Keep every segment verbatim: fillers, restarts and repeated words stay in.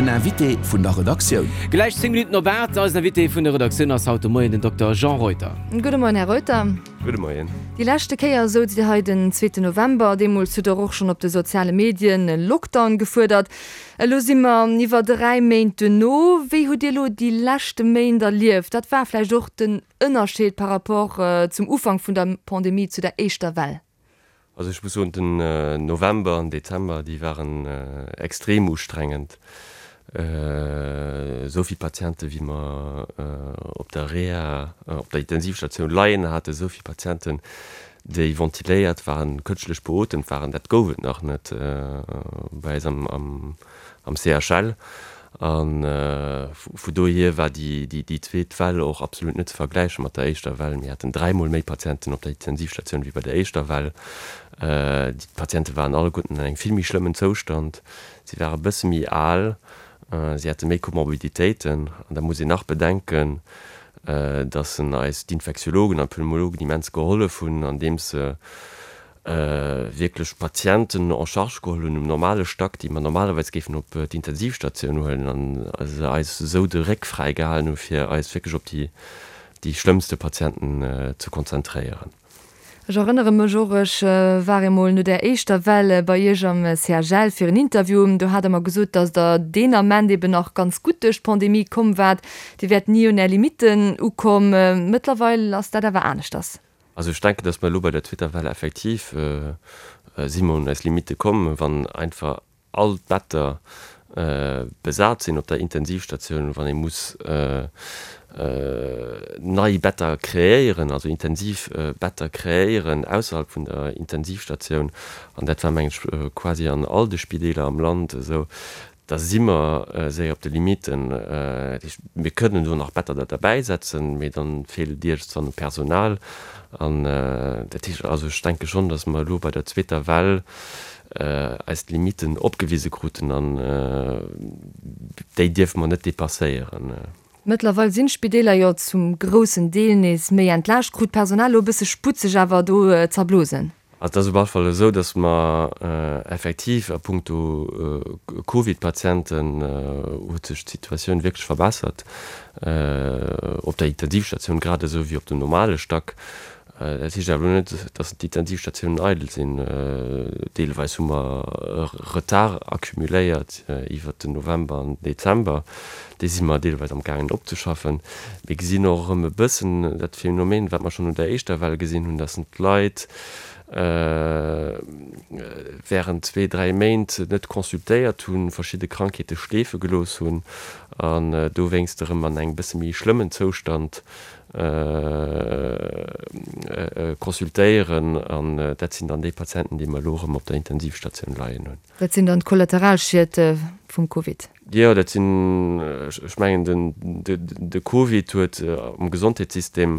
Den Invité vun der Redaktioun. Gläich zéng Minutten op aacht. Eisen Invité vun der Redaktioun ass haut de Moien den Dokter Jean Reuter. Gudde Moien, Här Reuter. Gudde Moien. Déi leschte Kéier souz Dir hei den zweeten November. Deemools hutt Der och schonn op de soziale Medien e Lockdown gefuerdert. Elo si mer iwwer dräi Méint duerno. Wéi hutt Dir elo déi leschte Méint erlieft? Wat war vläicht och den Ënnerscheed par rapport zum Ufank vun der Pandemie, zu der éischter Well? Also ech muss soen, den November an Dezember, déi waren extrem ustrengend. Esou vill Patiente wéi mer op der Reha, op der Intensivstatioun leien haten, esou vill Patienten, déi ventiléiert waren, kënschtlech beotemt waren, dat gouf et nach net bei eis am C H L. A vu dohier war déi zweet Well och absolut net ze vergläiche mat der éischter Well. Mir haten dräimol méi Patienten op der Intensivstatioun wéi bei der éischter Well. Déi Patiente waren alleguerten an engem vill méi schlëmmen Zoustand. Si ware bësse méi al, si hate méi Komorbiditéiten. An da muss een nach bedenken, datt eis d'Infektiologen an d'Pneumologen immens gehollef hunn, andeems se wierklech Patienten en charge geholl hunn um normale Stack, déi mer normalerweis géifen op d'Intensivstatioun huelen, an se eis esou de Réck fräi gehalen hu fir eis wierklech op déi déi schlëmmste Patienten ze konzentréieren. Ech erënnere mech och, ech war emol no där éischter Well bei Iech am C H L fir en Interview, do hat Der mer gesot, datt Der deen Ament eben nach ganz gutt duerch d'Pandemie komm waart, Dir wäert ni un Är Limitten ukomm. Mëttlerweil ass dat awer aneschters. Also ech denken, dass mer elo bei der zweeter Well effektiv si mer un eis Limitte komm, wann einfach all d'Better besat sinn op der Intensivstatioun, wann ee muss nei Better kreéieren, also intensiv Better kreéieren ausserhalb vun der Intensivstatioun, an dat war mengen ech quasi an all de Spideeler am Land esou, da si mer séier op de Limitten. Dat heescht, mir kënnen do nach Better da derbäisetzen, mee dann feelt et iergendwann u Personal. An dat heescht, also ech denke schonn, datt mer elo bei der zweeter Well eis d'Limitten opgewise kruten an déi dierfe mer net depasséieren. Mëttlerweil sinn d'Spideeler jo zum groussen Deel nees méi entlaascht. Krut d'Personal elo e bësse Sputt, sech awer do z'erblosen? Also et ass op alle Fall esou, datt mer effektiv a puncto Covid-Patienten huet sech d'Situatioun wierklech verbessert, op der Intensivstatioun grad esou wéi op dem normale Stack. Dat heescht awer elo net, datt d'Intensivstatiounen eidel sinn. Deelweis hu mer e Retard accumuléiert iwwert den November an den Dezember. Dee si mer deelweis am gaangen opzeschaffen. Mir gesinn och erëm e bëssen dat Phänomen, wat mer schonn un der éischter Well gesinn hunn, datt d'Leit während zwee, dräi Méint net consultéiert hunn, verschidde Krankheete schleefe gelooss hunn an dowéinst erëm an engem bësse méi schlëmmen Zoustand consultéieren. An dat sinn dann déi Patienten, déi mer elo erëm op der Intensivstatioun leien hunn. Dat sinn dann d'Kollateralschied vum Covid? Jo, dat sinn, ech mengen, de Covid huet am Gesondheetssystem,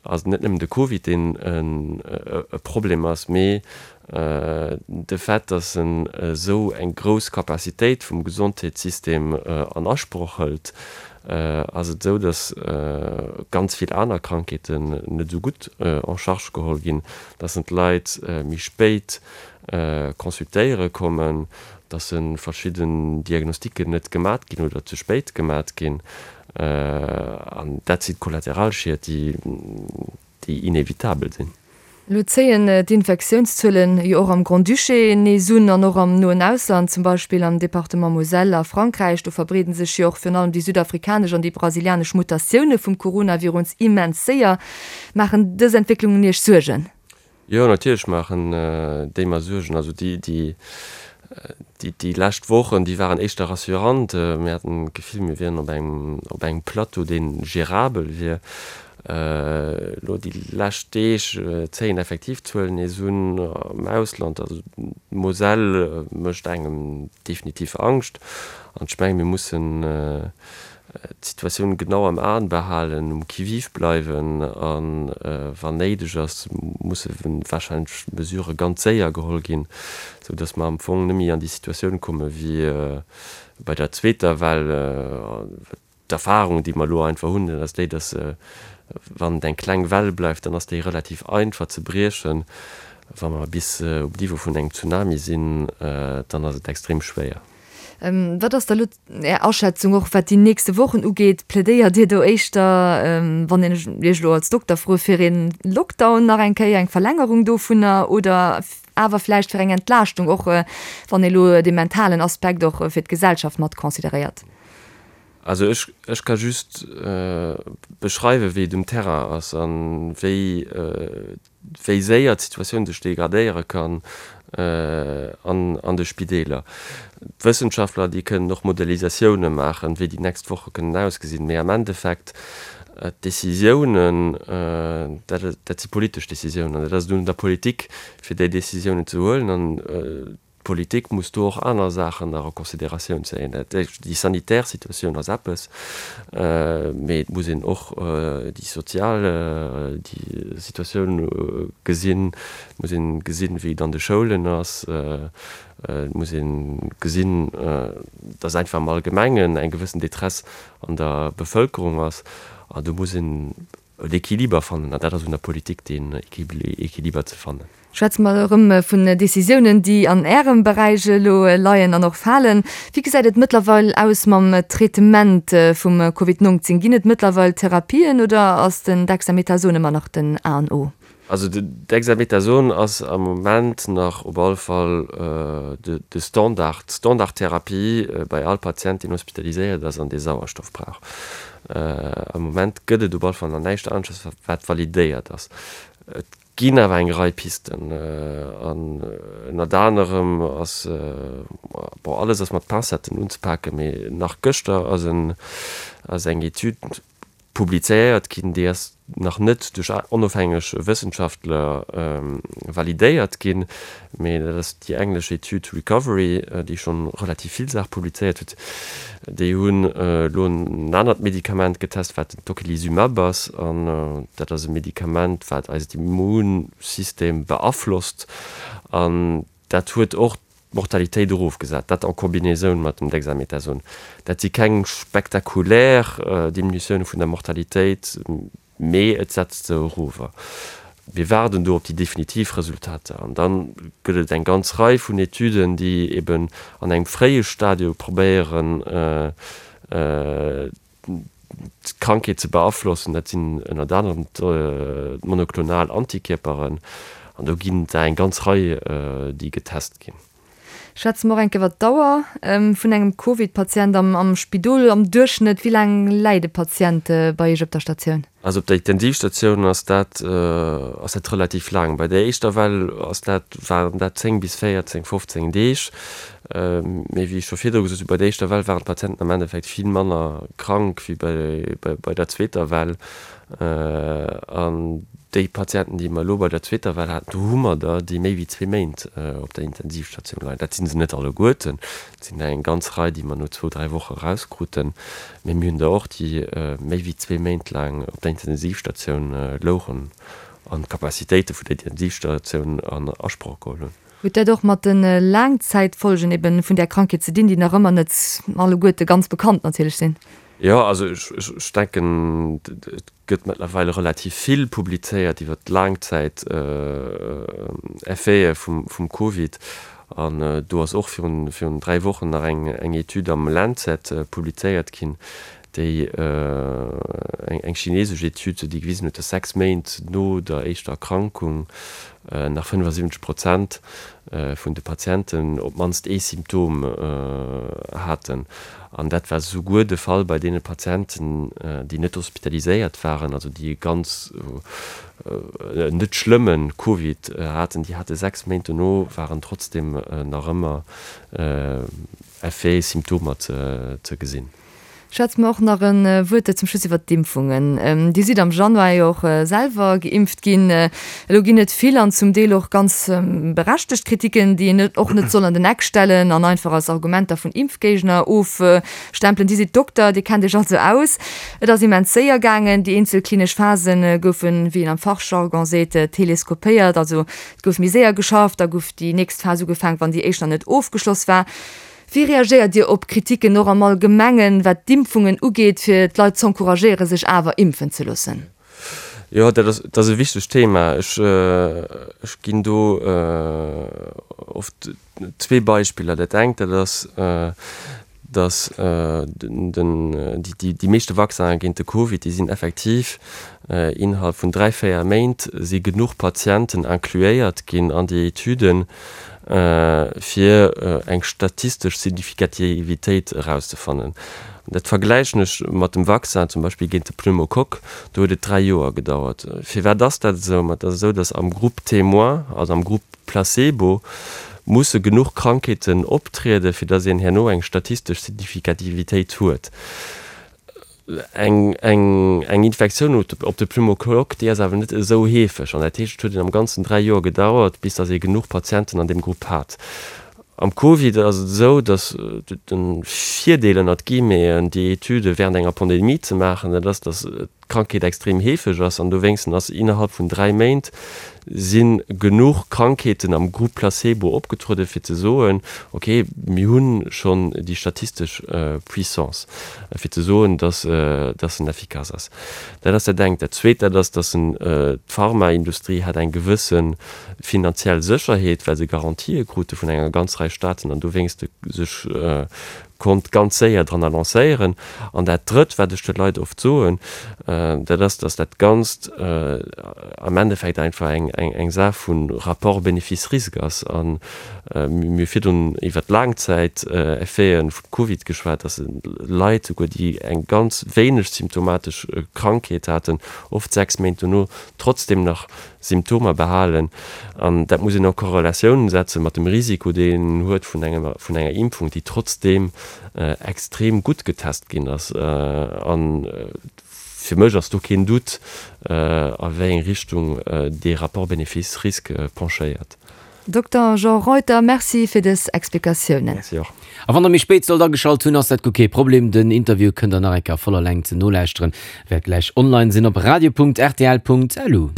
ass net nëmmen de Covid, deen e Problem ass, mee de Fait, datt en esou eng grouss Capacitéit vum Gesondheetssystem an Asproch hëlt, ass et esou, datt ganz vill aner Krankheeten net esou gutt en charge geholl ginn, datt en d'Leit méi spéit consultéiere kommen, datt verschidden Diagnostiken net gemat ginn oder ze spéit gemat ginn. An dat sinn d'Kollateralschied, déi, déi inevitabel sinn. Elo zéien d'Infektiounszuelen jo och am Grand-Duché nees un an och am noen Ausland, zum Beispill am Departement Moselle a Frankräich. Do verbreeden sech jo och virun allem déi südafrikanesch an déi brasilianesch Mutatioune vum Coronavirus immens séier. Maachen dës Entwécklungen Iech Suergen? Jo, natierlech maachen déi mer Suergen. Also déi, déi, déi, déi lescht Wochen, déi waren éischter rassurant. Mir haten d'Gefill, mir wieren op engem, op engem Plateau, dee gérabel wier. Elo déi lescht Deeg zéien effektiv d'Zuelen nees un am Ausland. Also d'Moselle mécht engem definitiv Angscht. An ech mengen, mir mussen d'Situatioun genau am Aen behalen, um Qui-vive bleiwen an wann néideg ass, musse warscheinlech Mesurë ganz séier geholl ginn, sou datt mer am Fong net méi an déi Situatioun komme wéi bei der zweeter Well. D'Erfahrung, déi mer elo einfach hunn, dat ass déi, datt wann et eng kleng Well bleift, dann ass déi relativ einfach ze briechen. Wa mer bis um Niveau vun engem Tsunami sinn, dann ass et extrem schwéier. Wat ass da lo Är Aschätzung och wat déi nächste Wochen ugeet? Plädéiert Dir do éischter, wann een Iech elo als Dokter froe, fir ee Lockdown nach eng Kéier, eng Verlängerung dovunner oder awer vläicht fir eng Entlaaschtung, och wann ee elo dee mentalen Aspekt och fir d'Gesellschaft mat consideréiert? Also ech, ech ka just beschreiwen, wéi et um Terrain ass a wéi, wéi séier d'Situatioun sech degradéiere kann an, an de Spideeler. D'Wëssenschaftler, déi kënnen och Modellisatioune maachen, wéi déi nächst Woche kënnen ausgesinn, mee am Endeffekt d'Décisiounen, dat, dat si politesch Décisiounen an et ass un der Politik, fir déi Décisiounen ze huelen an d'Politik muss do och aner Saachen nach a Considératioun zéien. Dat heescht, déi sanitär Situatioun ass eppes, mee et muss een och déi sozial déi Situatioun gesinn, et muss ee gesinn, wéi et an de Schoulen ass, et muss ee gesinn, datt einfach am Allgemengen eng gewëssen Détresse an der Bevëlkerung ass. An do muss een en Equiliber fannen, an dat ass un der Politik, deen Equiliber ze fannen. Schwätze mer erëm vun Décisiounen, déi an Ärem Beräich elo leien an och falen. Wéi gesäit et mëttlerweil aus mam Traitement vum Covid neunzehn? Ginn et mëttlerweil Therapien oder ass den Dexamethason ëmmer nach den A an O? Also den Dexamethason ass am Moment nach op alle Fall de Standard, d'Standardtherapie bei all Patient, deen hospitaliséiert ass an dee Sauerstoff brauch. Am Moment gëtt et op alle Fall nach näischt anesches, wat validéiert ass. Et ginn awer eng Rei Pisten an ënnert anerem ass, bon, alles ass mat Pincetten unzepaken, mee nach gëschter ass en, ass eng Etüd publizéiert ginn, déi ass nach net duerch onofhängeg Wëssenschaftler validéiert ginn, mee dat ass déi englesch Etüd Recovery, déi schonn relativ vill Saache publizéiert huet. Déi hunn elo en anert Medikament getest, wat den Tocilizumab ass, an dat ass e Medikament, wat eist Immunsystem beaflosst, an dat huet och d'Mortalitéit erofgesat, dat en Combinaison mat dem Dexamethason. Dat si keng spektakulär Diminutioune vun der Mortalitéit, mee et setzt se erover. Mir waarden do op déi definitiv Resultater an da gëtt et eng ganz Rei vun Etüden, déi eben an engem fréie Stadium probéieren, d'Krankheet ze beaflossen. Dat sinn ënnert anerem d'monoklonal Antikierperen an do ginn et der eng ganz Rei, déi getest ginn. Schwätze mer och eng Kéier iwwer d'Dauer vun engem Covid-Patient am Spidol. Am Duerchschnëtt, wéi laang läit e Patient bei Iech op der Statioun? Also op der Intensivstatioun ass dat ass dat relativ laang. Bei der éischter Well ass dat, waren dat zéng bis véierzéng, fofzéng Deeg. Mee wéi ech scho virdru gesot hunn, bei der éischter Well waren d'Patienten am Endeffekt vill manner krank wéi bei bei der zweeter Well. An déi Patienten, déi mer elo bei der zweeter Well haten, do hu mer der, déi méi wéi zwee Méint op der Intensivstatioun leien. Dat si se net alleguerten, et sinn der eng ganz Rei, déi mer no zwou, dräi Woche erauskruten, mee mir hunn der och, déi méi wéi zwee Méint laang op der Intensivstatioun louchen an d'Capacitéite vun der Intensivstatioun an Asproch geholl hunn. Huet dat och mat de Laangzäitfolgen ebe vun där Krankheet ze dinn, déi nach ëmmer net alleguerte ganz bekannt natierlech sinn? Jo, also ech denken, et gëtt mëttlerweile relativ vill publizéiert iwwer d'Laangzäiteffete vum Covid. An do ass och virun virun dräi Wochen nach eng eng Etüd am Lancet publizéiert ginn, déi eng chinesesch Etüd, déi gewisen huet, datt sechs Méint no der éischter Erkrankung nach fënnefasiwwenzeg Prozent vun de Patienten op d'mannst ee Symptom haten. An dat war souguer de Fall bei deene Patienten, déi net hospitaliséiert waren, also déi e ganz net schlëmme Covid haten. Déi hate sechs Méint dono, waren trotzdeem nach ëmmer Effet, Symptomer ze gesinn. Schwätze mer och nach e Wuert zum Schluss iwwert d'Impfungen. Dir sidd am Januar jo och selwer geimpft ginn. Elo ginn et vill an zum Deel och ganz berechtegt Kritiken, déi een och net soll an den Eck stellen an einfach als Argumenter vun Impfgéigner ofstempelen. Dir sidd Dokter, Dir kennt Iech also aus. Et ass immens séier gaangen. Déi eenzel klinesch Phase goufen, wéi een am Fachjargon seet, teleskopéiert. Also et gouf méi séier geschafft, da gouf déi nächst Phas ugefaangen, wann déi éischt nach net ofgeschloss war. Wéi reagéiert Dir op Kritiken och am Allgemengen, wat d'Impfungen ugeet, fir d'Leit z'encouragéieren, sech awer impfen ze loossen? Jo, dat ass, dat ass e wichtegt Thema. Ech, ech ginn do oft zwee Beispiller. Dat engt, dat ass, dass den, déi, déi meeschte Vaccinen géint de Covid, déi sinn effektiv innerhalb vun dräi, véier Méint si genuch Patienten incluéiert ginn an déi Etüden, fir eng statistesch Signifikativitéit erauszefannen. Dat vergläichen ech mat dem Vaccin zum Beispill géint de Pneumokock, do huet et dräi Joer gedauert. Firwat ass dat esou? Ma et ass esou, datt am Groupe témoin, also am Groupe placebo, musse genuch Krankheeten optrieden, fir datt een herno eng statistesch Signifikativitéit huet. Eng, eng, eng Infektioun op de Pneumokock, déi ass awer net esou heefeg. An dat heescht, et huet een am Ganzen dräi Joer gedauert, bis datt ee genuch Patienten an deem Grupp hat. Am Covid ass et esou, datt de Virdeel, ënnert Guillemeten, déi Etüde während enger Pandemie ze maachen, dat ass, datt d'Krankheet extrem heefeg ass an dowéinsten ass innerhalb vun dräi Méint si genuch Krankheeten am Groupe Placebo opgetrueden, fir ze soen, ok, mir hu schonn déi statistesch Puissance, fir ze soen, dass dass en effikass ass. Dat ass dat engt. Dat Zweet, dat ass, dass en d'Pharmaindustrie hat eng gewësse finanziell Sécherheet, well se Garantië krute vun enger ganz Rei Staaten an dowéinste sech konnt ganz séier dran lancéieren. An dat Drëtt, wat ech de Leit oft soen, dat ass, dass dat Ganzt am Endeffekt einfach eng, eng, eng Saach vu Rapport bénéfice-risque ass. A mir hu virdrun iwwert d'Laangzäiteffeten vum Covid geschwat, dass Leit souguer, déi eng ganz wéineg symptomatesch Krankheet haten, oft sechs Méint dono trotzdem nach Symptomer behalen. An dat muss een en Korrelatioun setze mat dem Risiko, deen een huet vun enger, vun enger Impfung, déi trotzdeem extrem gutt getest ginn ass. A fir mech ass do keen Doute, a wéi eng Richtung dee Rapport bénéfice-risque penchéiert. Dokter Jean Reuter, Merci fir dës Explikatiounen. Merci och. A wann der méi spéit sollt ageschalt hunn, ass dat guer kee Problem. Den Interview kënnt der nach eng Kéier a voller Längt nolauschteren, wäert gläich online sinn op radio.rtl.lu.